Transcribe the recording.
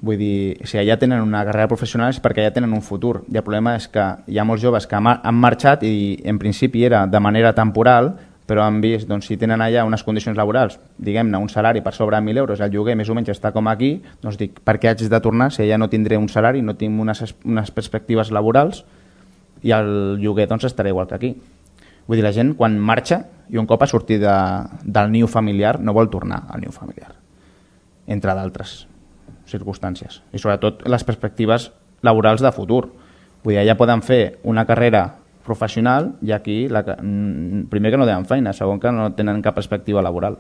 Vull dir, si allà tenen una carrera professional és perquè allà tenen un futur. I el problema és que hi ha molts joves que han marxat i en principi era de manera temporal, però han vist, doncs, si tenen allà unes condicions laborals, diguem-ne, un salari per sobre de 1.000 euros, el lloguer més o menys està com aquí, doncs dic, per què haig de tornar si allà no tindré un salari, no tinc unes perspectives laborals i el lloguer doncs estarà igual que aquí. Vull dir, la gent quan marxa i un cop ha sortit del niu familiar no vol tornar al niu familiar, entre d'altres circumstàncies. I sobretot les perspectives laborals de futur. Vull dir, allà poden fer una carrera professional i aquí primer que no tenen feina, segon que no tenen cap perspectiva laboral.